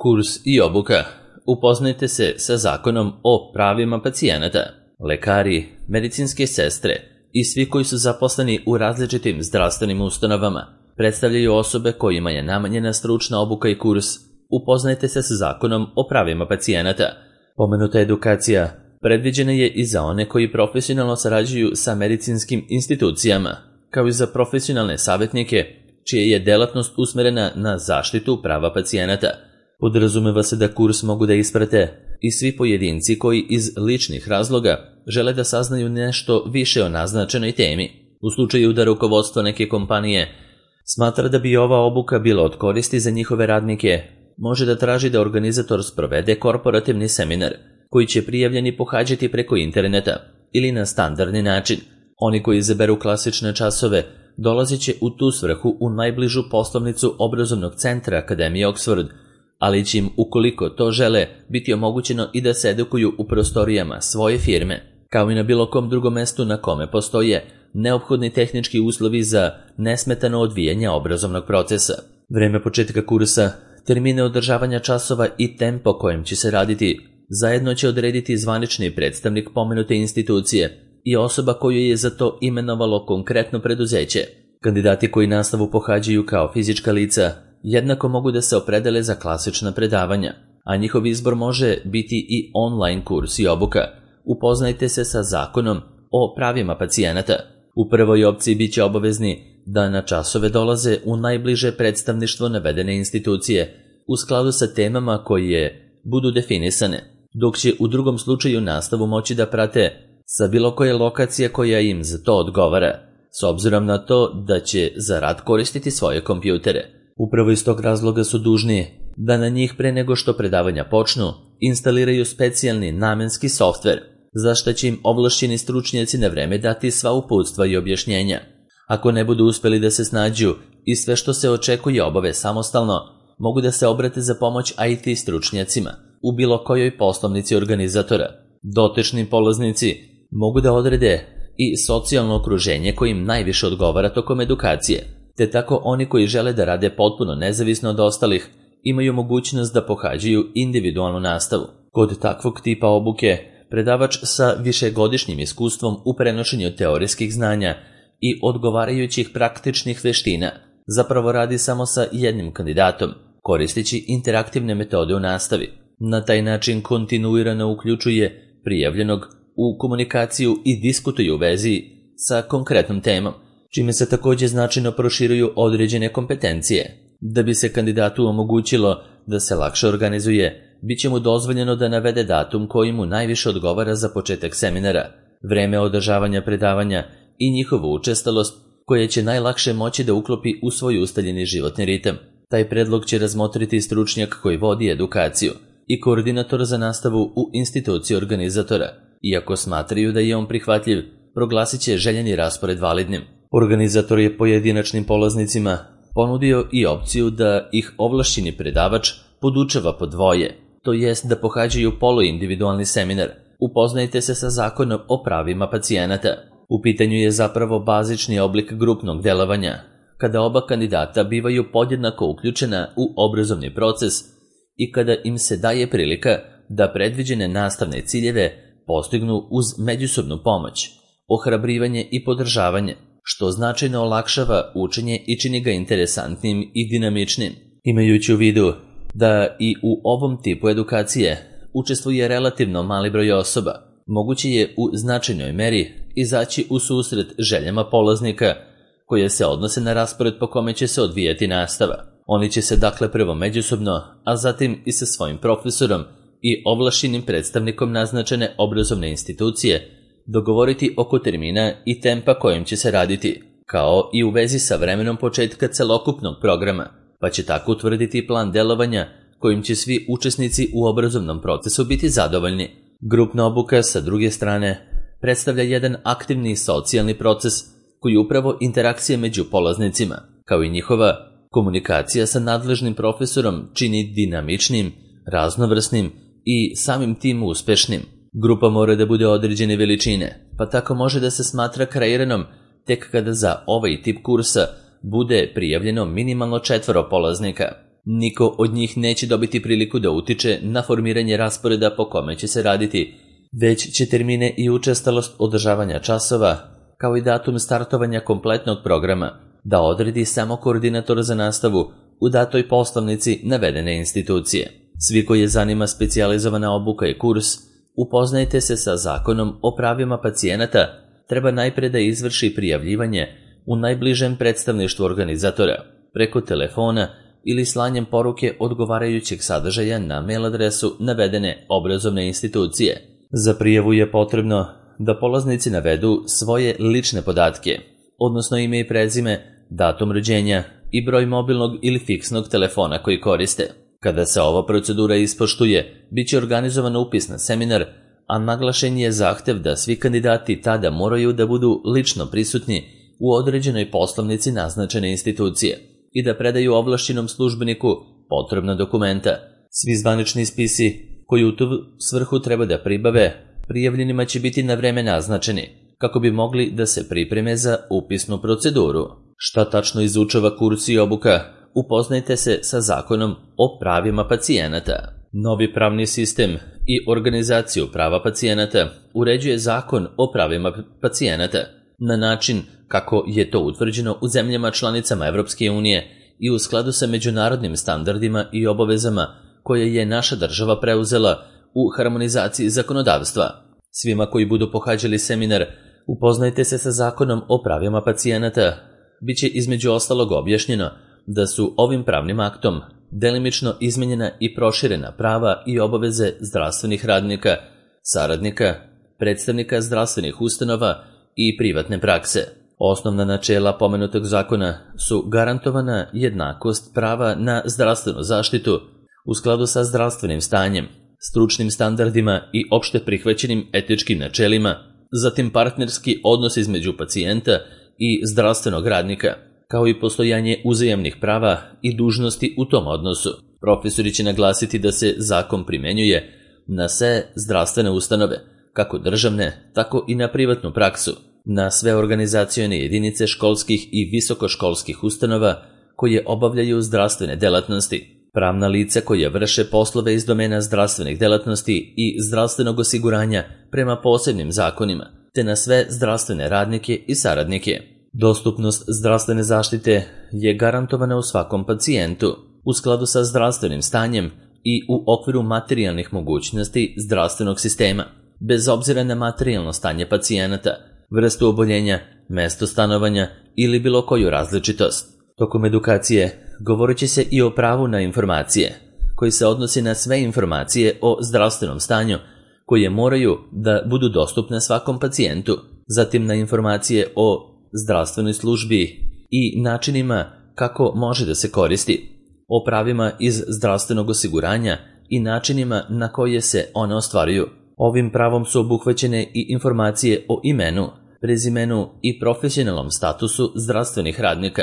Kurs i obuka. Upoznajte se sa zakonom o pravima pacijenata. Lekari, medicinske sestre i svi koji su zaposleni u različitim zdravstvenim ustanovama predstavljaju osobe kojima je namenjena stručna obuka i kurs. Upoznajte se sa zakonom o pravima pacijenata. Pomenuta edukacija predviđena je i za one koji profesionalno sarađuju sa medicinskim institucijama, kao i za profesionalne savjetnike čija je delatnost usmerena na zaštitu prava pacijenata. Podrazumeva se da kurs mogu da isprate i svi pojedinci koji iz ličnih razloga žele da saznaju nešto više o naznačenoj temi. U slučaju da rukovodstvo neke kompanije smatra da bi ova obuka bila od koristi za njihove radnike, može da traži da organizator sprovede korporativni seminar koji će prijavljeni pohađati preko interneta ili na standardni način. Oni koji izaberu klasične časove dolazit će u tu svrhu u najbližu poslovnicu obrazovnog centra Akademije Oxford, ali će im, ukoliko to žele, biti omogućeno i da se edukuju u prostorijama svoje firme, kao i na bilo kom drugom mestu na kome postoje neophodni tehnički uslovi za nesmetano odvijanje obrazovnog procesa. Vreme početka kursa, termine održavanja časova i tempo kojim će se raditi zajedno će odrediti zvanični predstavnik pomenute institucije i osoba koju je za to imenovalo konkretno preduzeće. Kandidati koji nastavu pohađaju kao fizička lica jednako mogu da se opredele za klasična predavanja, a njihov izbor može biti i online kurs i obuka. Upoznajte se sa zakonom o pravima pacijenata. U prvoj opciji bit će obavezni da na časove dolaze u najbliže predstavništvo navedene institucije u skladu sa temama koje budu definisane, dok će u drugom slučaju nastavu moći da prate sa bilo koje lokacije koja im za to odgovara, s obzirom na to da će za rad koristiti svoje kompjutere. Upravo iz tog razloga su dužni da na njih pre nego što predavanja počnu instaliraju specijalni namenski softver, za što će im ovlašćeni stručnjaci na vreme dati sva uputstva i objašnjenja. Ako ne budu uspeli da se snađu i sve što se očekuje obave samostalno, mogu da se obrate za pomoć IT stručnjacima u bilo kojoj poslovnici organizatora. Dotični polaznici mogu da odrede i socijalno okruženje kojim najviše odgovara tokom edukacije, te tako oni koji žele da rade potpuno nezavisno od ostalih imaju mogućnost da pohađaju individualnu nastavu. Kod takvog tipa obuke, predavač sa višegodišnjim iskustvom u prenošenju teorijskih znanja i odgovarajućih praktičnih veština zapravo radi samo sa jednim kandidatom, koristeći interaktivne metode u nastavi. Na taj način kontinuirano uključuje prijavljenog u komunikaciju i diskutuje u vezi sa konkretnom temom, čime se također značajno proširuju određene kompetencije. Da bi se kandidatu omogućilo da se lakše organizuje, bit će mu dozvoljeno da navede datum koji mu najviše odgovara za početak seminara, vreme održavanja predavanja i njihovu učestalost koja će najlakše moći da uklopi u svoj ustaljeni životni ritam. Taj predlog će razmotriti stručnjak koji vodi edukaciju i koordinator za nastavu u instituciji organizatora. Iako smatraju da je on prihvatljiv, proglasit će željeni raspored validnim. Organizator je pojedinačnim polaznicima ponudio i opciju da ih ovlašćeni predavač podučava po dvoje, to jest da pohađaju poluindividualni seminar. Upoznajte se sa zakonom o pravima pacijenata. U pitanju je zapravo bazični oblik grupnog delovanja, kada oba kandidata bivaju podjednako uključena u obrazovni proces i kada im se daje prilika da predviđene nastavne ciljeve postignu uz međusobnu pomoć, ohrabrivanje i podržavanje, što značajno olakšava učenje i čini ga interesantnim i dinamičnim. Imajući u vidu da i u ovom tipu edukacije učestvuje relativno mali broj osoba, moguće je u značajnoj meri izaći u susret željama polaznika koje se odnose na raspored po kome će se odvijati nastava. Oni će se dakle prvo međusobno, a zatim i sa svojim profesorom i ovlašćenim predstavnikom naznačene obrazovne institucije dogovoriti oko termina i tempa kojim će se raditi, kao i u vezi sa vremenom početka celokupnog programa, pa će tako utvrditi plan delovanja kojim će svi učesnici u obrazovnom procesu biti zadovoljni. Grupna obuka, sa druge strane, predstavlja jedan aktivni socijalni proces koji upravo interakcije među polaznicima, kao i njihova komunikacija sa nadležnim profesorom čini dinamičnim, raznovrsnim i samim tim uspešnim. Grupa mora da bude određene veličine, pa tako može da se smatra kreiranom tek kada za ovaj tip kursa bude prijavljeno minimalno 4 polaznika. Niko od njih neće dobiti priliku da utiče na formiranje rasporeda po kome će se raditi, već će termine i učestalost održavanja časova, kao i datum startovanja kompletnog programa, da odredi samo koordinator za nastavu u datoj poslovnici navedene institucije. Svi koji je zanima specijalizovana obuka i kurs, upoznajte se sa Zakonom o pravima pacijenata, treba najpre da izvrši prijavljivanje u najbližem predstavništvu organizatora, preko telefona ili slanjem poruke odgovarajućeg sadržaja na mail adresu navedene obrazovne institucije. Za prijavu je potrebno da polaznici navedu svoje lične podatke, odnosno ime i prezime, datum rođenja i broj mobilnog ili fiksnog telefona koji koriste. Kada se ova procedura ispoštuje, bit će organizovan upis na seminar, a naglašen je zahtev da svi kandidati tada moraju da budu lično prisutni u određenoj poslovnici naznačene institucije i da predaju ovlašćenom službeniku potrebna dokumenta. Svi zvanični spisi koji u tu svrhu treba da pribave, prijavljenima će biti na vreme naznačeni, kako bi mogli da se pripreme za upisnu proceduru. Šta tačno izučava kurs i obuka? Upoznajte se sa Zakonom o pravima pacijenata. Novi pravni sistem i organizaciju prava pacijenata uređuje Zakon o pravima pacijenata na način kako je to utvrđeno u zemljama članicama Evropske unije i u skladu sa međunarodnim standardima i obavezama koje je naša država preuzela u harmonizaciji zakonodavstva. Svima koji budu pohađali seminar, upoznajte se sa Zakonom o pravima pacijenata. Biće između ostalog objašnjeno da su ovim pravnim aktom delimično izmenjena i proširena prava i obaveze zdravstvenih radnika, saradnika, predstavnika zdravstvenih ustanova i privatne prakse. Osnovna načela pomenutog zakona su garantovana jednakost prava na zdravstvenu zaštitu u skladu sa zdravstvenim stanjem, stručnim standardima i opšte prihvaćenim etičkim načelima, zatim partnerski odnos između pacijenta i zdravstvenog radnika, kao i postojanje uzajamnih prava i dužnosti u tom odnosu. Profesori će naglasiti da se zakon primenjuje na sve zdravstvene ustanove, kako državne, tako i na privatnu praksu, na sve organizacione jedinice školskih i visokoškolskih ustanova koje obavljaju zdravstvene delatnosti, pravna lica koje vrše poslove iz domena zdravstvenih delatnosti i zdravstvenog osiguranja prema posebnim zakonima, te na sve zdravstvene radnike i saradnike. Dostupnost zdravstvene zaštite je garantovana u svakom pacijentu u skladu sa zdravstvenim stanjem i u okviru materijalnih mogućnosti zdravstvenog sistema, bez obzira na materijalno stanje pacijenata, vrstu oboljenja, mesto stanovanja ili bilo koju različitost. Tokom edukacije govorit će se i o pravu na informacije, koji se odnosi na sve informacije o zdravstvenom stanju koje moraju da budu dostupne svakom pacijentu, zatim na informacije o zdravstvenoj službi i načinima kako može da se koristi, o pravima iz zdravstvenog osiguranja i načinima na koje se one ostvaruju. Ovim pravom su obuhvaćene i informacije o imenu, prezimenu i profesionalnom statusu zdravstvenih radnika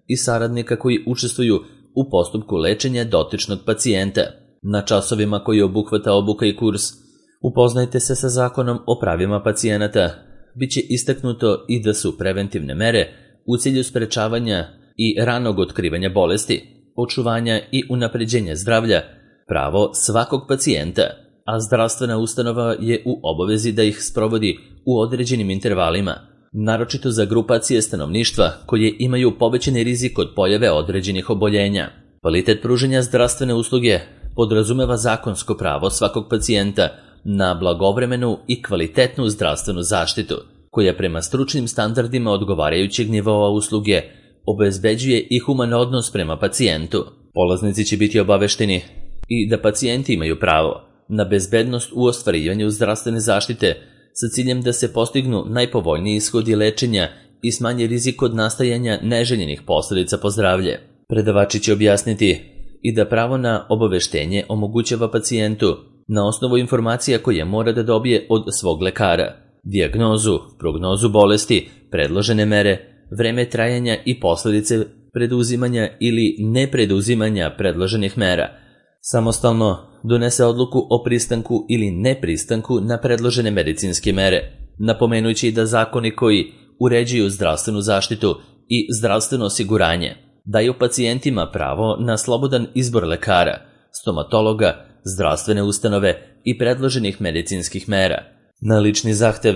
i saradnika koji učestvuju u postupku lečenja dotičnog pacijenta. Na časovima koji obuhvata obuka i kurs, upoznajte se sa Zakonom o pravima pacijenata. Biće istaknuto i da su preventivne mere u cilju sprečavanja i ranog otkrivanja bolesti, očuvanja i unapređenja zdravlja, pravo svakog pacijenta, a zdravstvena ustanova je u obavezi da ih sprovodi u određenim intervalima, naročito za grupacije stanovništva koje imaju povećani rizik od pojave određenih oboljenja. Kvalitet pružanja zdravstvene usluge podrazumeva zakonsko pravo svakog pacijenta na blagovremenu i kvalitetnu zdravstvenu zaštitu, koja prema stručnim standardima odgovarajućeg nivoa usluge obezbeđuje i human odnos prema pacijentu. Polaznici će biti obavešteni i da pacijenti imaju pravo na bezbednost u ostvarivanju zdravstvene zaštite sa ciljem da se postignu najpovoljniji ishodi lečenja i smanji rizik od nastajanja neželjenih posledica po zdravlje. Predavači će objasniti i da pravo na obaveštenje omogućava pacijentu na osnovu informacija koje mora da dobije od svog lekara, dijagnozu, prognozu bolesti, predložene mere, vreme trajanja i posledice preduzimanja ili nepreduzimanja predloženih mera. Samostalno donese odluku o pristanku ili nepristanku na predložene medicinske mere, napomenući da zakoni koji uređuju zdravstvenu zaštitu i zdravstveno osiguranje daju pacijentima pravo na slobodan izbor lekara, stomatologa, zdravstvene ustanove i predloženih medicinskih mera. Na lični zahtev,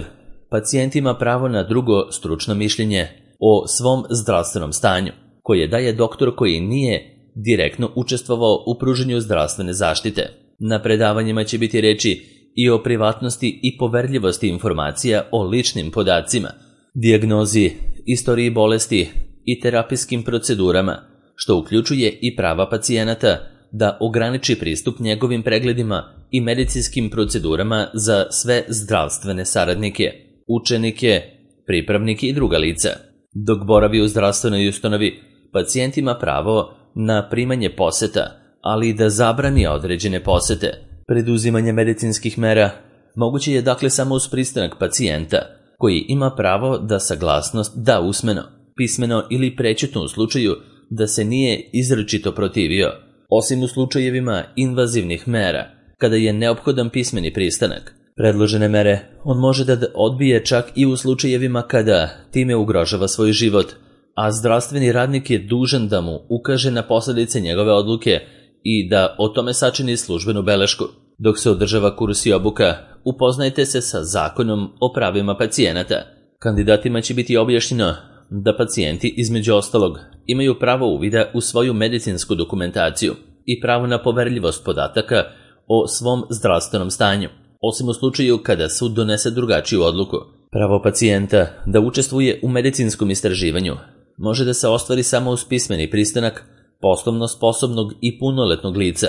pacijent ima pravo na drugo stručno mišljenje o svom zdravstvenom stanju, koje daje doktor koji nije direktno učestvovao u pružanju zdravstvene zaštite. Na predavanjima će biti reči i o privatnosti i poverljivosti informacija o ličnim podacima, dijagnozi, istoriji bolesti i terapijskim procedurama, što uključuje i prava pacijenata da ograniči pristup njegovim pregledima i medicinskim procedurama za sve zdravstvene saradnike, učenike, pripravnike i druga lica. Dok boravi u zdravstvenoj ustanovi, pacijent ima pravo na primanje poseta, ali i da zabrani određene posete. Preduzimanje medicinskih mera moguće je dakle samo uz pristanak pacijenta, koji ima pravo da saglasnost da usmeno, pismeno ili prećutno u slučaju da se nije izričito protivio, osim u slučajevima invazivnih mera, kada je neophodan pismeni pristanak. Predložene mere on može da odbije čak i u slučajevima kada time ugrožava svoj život, a zdravstveni radnik je dužan da mu ukaže na posljedice njegove odluke i da o tome sačini službenu belešku. Dok se održava kurs i obuka, upoznajte se sa Zakonom o pravima pacijenata. Kandidatima će biti objašnjeno da pacijenti, između ostalog, imaju pravo uvida u svoju medicinsku dokumentaciju i pravo na poverljivost podataka o svom zdravstvenom stanju, osim u slučaju kada sud donese drugačiju odluku. Pravo pacijenta da učestvuje u medicinskom istraživanju može da se ostvari samo uz pismeni pristanak poslovno sposobnog i punoletnog lica,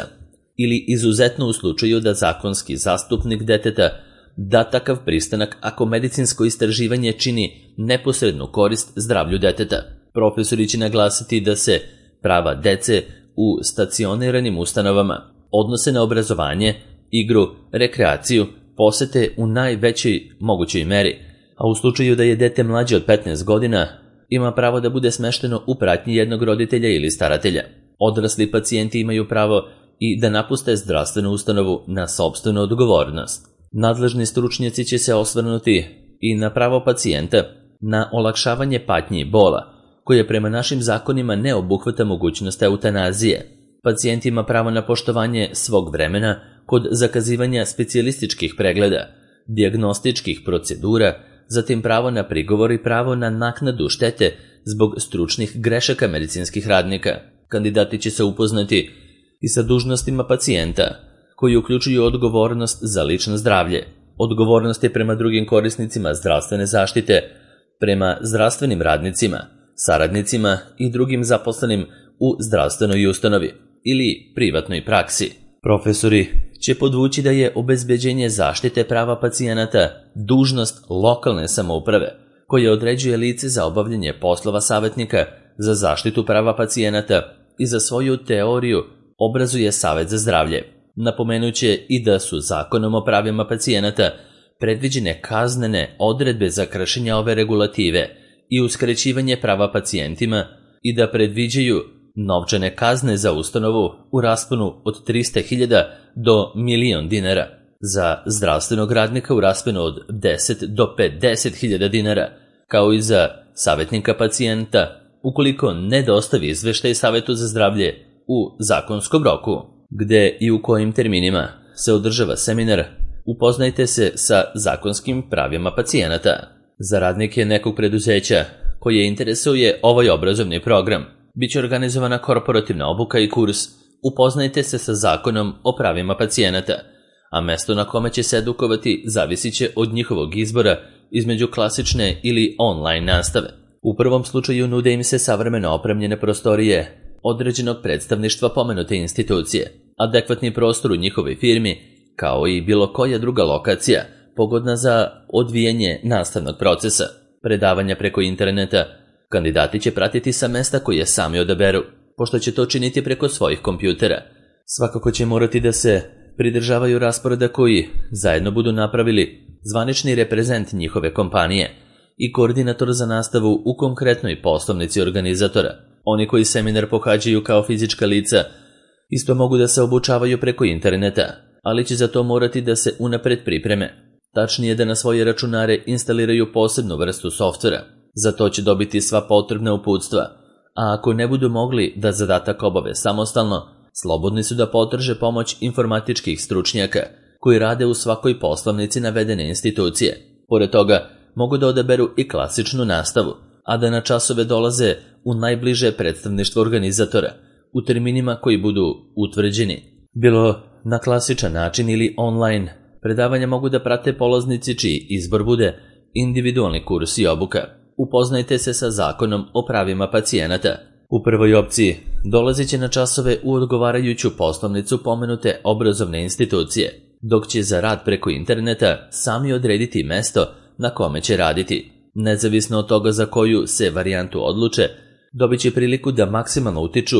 ili izuzetno u slučaju da zakonski zastupnik deteta da takav pristanak ako medicinsko istraživanje čini neposrednu korist zdravlju deteta. Profesori će naglasiti da se prava dece u stacioniranim ustanovama odnose na obrazovanje, igru, rekreaciju, posete u najvećoj mogućoj meri, a u slučaju da je dete mlađe od 15 godina, ima pravo da bude smešteno u pratnji jednog roditelja ili staratelja. Odrasli pacijenti imaju pravo i da napuste zdravstvenu ustanovu na sopstvenu odgovornost. Nadležni stručnjaci će se osvrnuti i na pravo pacijenta na olakšavanje patnji i bola, koje prema našim zakonima ne obuhvata mogućnost eutanazije. Pacijent ima pravo na poštovanje svog vremena kod zakazivanja specijalističkih pregleda, dijagnostičkih procedura, zatim pravo na prigovor i pravo na naknadu štete zbog stručnih grešaka medicinskih radnika. Kandidati će se upoznati i sa dužnostima pacijenta, koji uključuju odgovornost za lično zdravlje, odgovornost je prema drugim korisnicima zdravstvene zaštite, prema zdravstvenim radnicima, saradnicima i drugim zaposlenim u zdravstvenoj ustanovi ili privatnoj praksi. Profesori će podvući da je obezbeđenje zaštite prava pacijenata dužnost lokalne samouprave, koja određuje lice za obavljanje poslova savjetnika za zaštitu prava pacijenata i za svoju teoriju obrazuje Savet za zdravlje. Napomenuće i da su Zakonom o pravima pacijenata predviđene kaznene odredbe za kršenje ove regulative i uskraćivanje prava pacijentima i da predviđaju novčane kazne za ustanovu u rasponu od 300.000 do 1.000.000 dinara, za zdravstvenog radnika u rasponu od 10 do 50.000 dinara, kao i za savjetnika pacijenta ukoliko ne dostavi izveštaj Savetu za zdravlje u zakonskom roku. Gde i u kojim terminima se održava seminar, upoznajte se sa zakonskim pravima pacijenata. Za radnike nekog preduzeća koje interesuje ovaj obrazovni program, biće organizovana korporativna obuka i kurs Upoznajte se sa Zakonom o pravima pacijenata, a mesto na kome će se edukovati zavisit će od njihovog izbora između klasične ili online nastave. U prvom slučaju nude im se savremeno opremljene prostorije određenog predstavništva pomenute institucije, adekvatni prostor u njihovoj firmi, kao i bilo koja druga lokacija pogodna za odvijanje nastavnog procesa. Predavanja preko interneta kandidati će pratiti sa mesta koje sami odaberu, pošto će to činiti preko svojih kompjutera. Svakako će morati da se pridržavaju rasporeda koji zajedno budu napravili zvanični reprezent njihove kompanije i koordinator za nastavu u konkretnoj poslovnici organizatora. Oni koji seminar pohađaju kao fizička lica isto mogu da se obučavaju preko interneta, ali će za to morati da se unapred pripreme. Tačnije da na svoje računare instaliraju posebnu vrstu softvera. Za to će dobiti sva potrebna uputstva, a ako ne budu mogli da zadatak obave samostalno, slobodni su da potraže pomoć informatičkih stručnjaka koji rade u svakoj poslovnici navedene institucije. Pored toga, mogu da odaberu i klasičnu nastavu, a da na časove dolaze u najbliže predstavništvo organizatora, u terminima koji budu utvrđeni. Bilo na klasičan način ili online, predavanja mogu da prate polaznici čiji izbor bude individualni kurs i obuka. Upoznajte se sa zakonom o pravima pacijenata. U prvoj opciji dolazit će na časove u odgovarajuću poslovnicu pomenute obrazovne institucije, dok će za rad preko interneta sami odrediti mesto na kome će raditi. Nezavisno od toga za koju se varijantu odluče, dobit će priliku da maksimalno utiču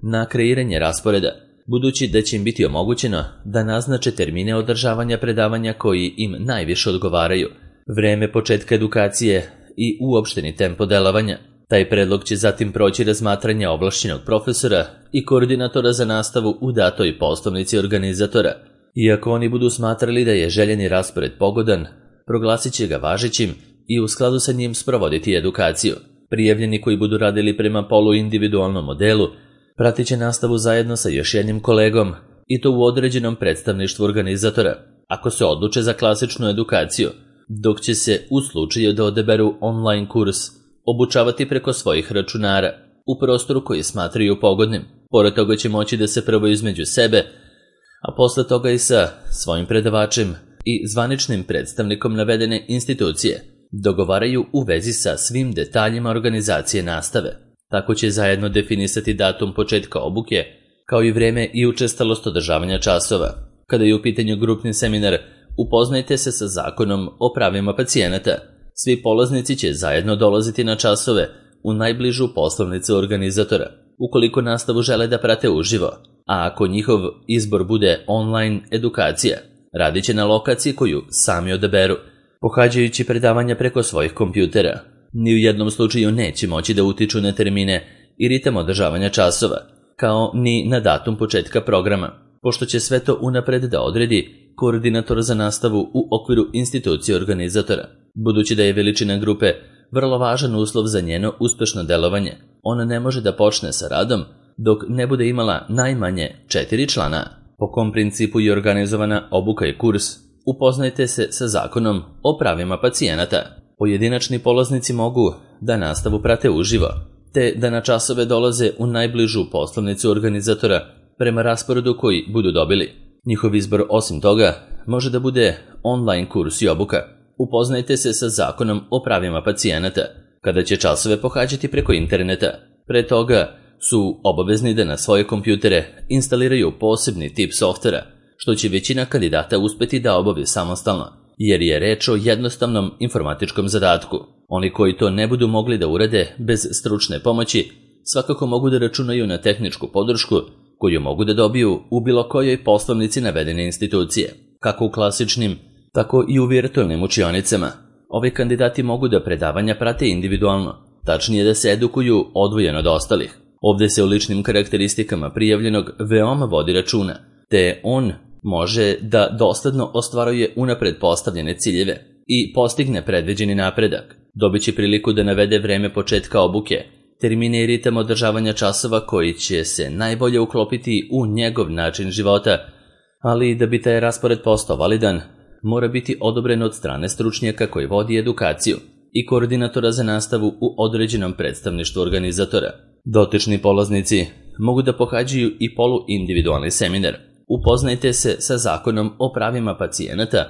na kreiranje rasporeda, budući da će im biti omogućeno da naznače termine održavanja predavanja koji im najviše odgovaraju, vreme početka edukacije i uopšteni tempo delovanja. Taj predlog će zatim proći razmatranje ovlašćenog profesora i koordinatora za nastavu u datoj poslovnici organizatora. Iako oni budu smatrali da je željeni raspored pogodan, proglasit će ga važećim i u skladu sa njim sprovoditi edukaciju. Prijavljeni koji budu radili prema poluindividualnom modelu pratit će nastavu zajedno sa još jednim kolegom i to u određenom predstavništvu organizatora, ako se odluče za klasičnu edukaciju, dok će se u slučaju da odaberu online kurs obučavati preko svojih računara u prostoru koji smatraju pogodnim. Pored toga će moći da se prvo između sebe, a posle toga i sa svojim predavačem i zvaničnim predstavnikom navedene institucije dogovaraju u vezi sa svim detaljima organizacije nastave. Tako će zajedno definisati datum početka obuke, kao i vreme i učestalost održavanja časova. Kada je u pitanju grupni seminar, upoznajte se sa zakonom o pravima pacijenata. Svi polaznici će zajedno dolaziti na časove u najbližu poslovnicu organizatora, ukoliko nastavu žele da prate uživo, a ako njihov izbor bude online edukacija, radit će na lokaciji koju sami odaberu, pohađajući predavanja preko svojih kompjutera. Ni u jednom slučaju neće moći da utiču na termine i ritam održavanja časova, kao ni na datum početka programa, pošto će sve to unapred da odredi koordinator za nastavu u okviru institucije organizatora. Budući da je veličina grupe vrlo važan uslov za njeno uspešno delovanje, ona ne može da počne sa radom dok ne bude imala najmanje 4 člana. Po kom principu je organizovana obuka i kurs, upoznajte se sa zakonom o pravima pacijenata. Pojedinačni polaznici mogu da nastavu prate uživo, te da na časove dolaze u najbližu poslovnicu organizatora prema rasporedu koji budu dobili. Njihov izbor osim toga može da bude online kurs i obuka. Upoznajte se sa zakonom o pravima pacijenata, kada će časove pohađati preko interneta. Pre toga su obavezni da na svoje kompjutere instaliraju posebni tip softvera, što će većina kandidata uspeti da obavi samostalno, jer je reč o jednostavnom informatičkom zadatku. Oni koji to ne budu mogli da urade bez stručne pomoći, svakako mogu da računaju na tehničku podršku koju mogu da dobiju u bilo kojoj poslovnici navedene institucije, kako u klasičnim, tako i u virtualnim učionicama. Ovi kandidati mogu da predavanja prate individualno, tačnije da se edukuju odvojeno od ostalih. Ovde se u ličnim karakteristikama prijavljenog veoma vodi računa, te on može da dosledno ostvaruje unapred postavljene ciljeve i postigne predviđeni napredak. Dobit će priliku da navede vreme početka obuke, termine i ritam održavanja časova koji će se najbolje uklopiti u njegov način života, ali da bi taj raspored postao validan, mora biti odobren od strane stručnjaka koji vodi edukaciju i koordinatora za nastavu u određenom predstavništvu organizatora. Dotični polaznici mogu da pohađaju i poluindividualni seminar. Upoznajte se sa zakonom o pravima pacijenata,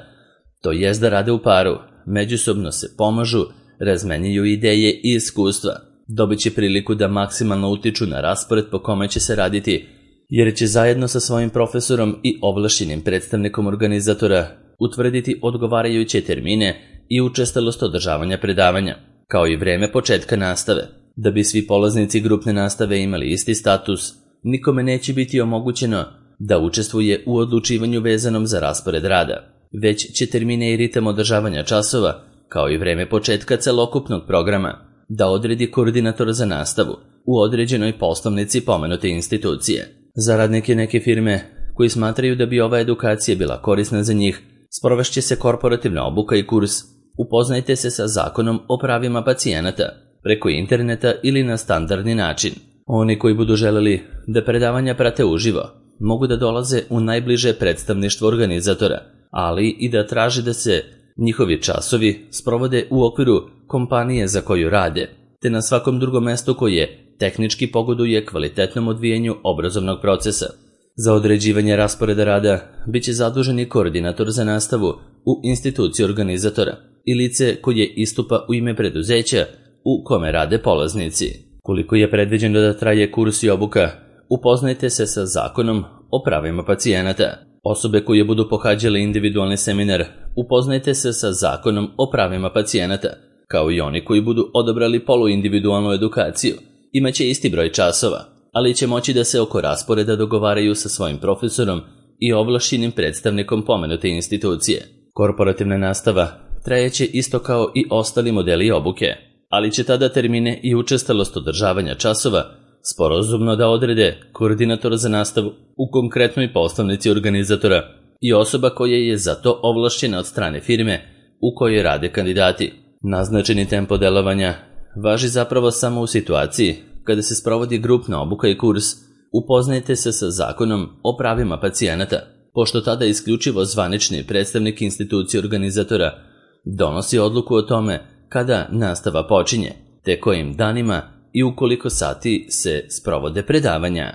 to jest da rade u paru, međusobno se pomažu, razmenjuju ideje i iskustva. Dobit će priliku da maksimalno utiču na raspored po kome će se raditi, jer će zajedno sa svojim profesorom i ovlašćenim predstavnikom organizatora utvrditi odgovarajuće termine i učestalost održavanja predavanja, kao i vreme početka nastave. Da bi svi polaznici grupne nastave imali isti status, nikome neće biti omogućeno da učestvuje u odlučivanju vezanom za raspored rada, već će termine i ritam održavanja časova, kao i vreme početka celokupnog programa, da odredi koordinator za nastavu u određenoj poslovnici pomenute institucije. Za radnike neke firme koji smatraju da bi ova edukacija bila korisna za njih, sprovešće se korporativna obuka i kurs. Upoznajte se sa zakonom o pravima pacijenata. preko interneta ili na standardni način. Oni koji budu želeli da predavanja prate uživo, mogu da dolaze u najbliže predstavništvo organizatora, ali i da traže da se njihovi časovi sprovode u okviru kompanije za koju rade, te na svakom drugom mestu koje tehnički pogoduje kvalitetnom odvijanju obrazovnog procesa. Za određivanje rasporeda rada biće zadužen i koordinator za nastavu u instituciji organizatora i lice koje istupa u ime preduzeća u kome rade polaznici. Koliko je predviđeno da traje kurs i obuka, upoznajte se sa Zakonom o pravima pacijenata. Osobe koje budu pohađale individualni seminar, upoznajte se sa Zakonom o pravima pacijenata, kao i oni koji budu odabrali poluindividualnu edukaciju. Imaće isti broj časova, ali će moći da se oko rasporeda dogovaraju sa svojim profesorom i ovlašćenim predstavnikom pomenute institucije. Korporativna nastava trajeće isto kao i ostali modeli obuke, ali će tada termine i učestalost održavanja časova sporazumno da odrede koordinator za nastavu u konkretnoj poslovnici organizatora i osoba koja je za to ovlašćena od strane firme u kojoj rade kandidati. Naznačeni tempo delovanja važi zapravo samo u situaciji kada se sprovodi grupna obuka i kurs. Upoznajte se sa Zakonom o pravima pacijenata, pošto tada isključivo zvanični predstavnik institucije organizatora donosi odluku o tome kada nastava počinje, te kojim danima i u koliko sati se sprovode predavanja.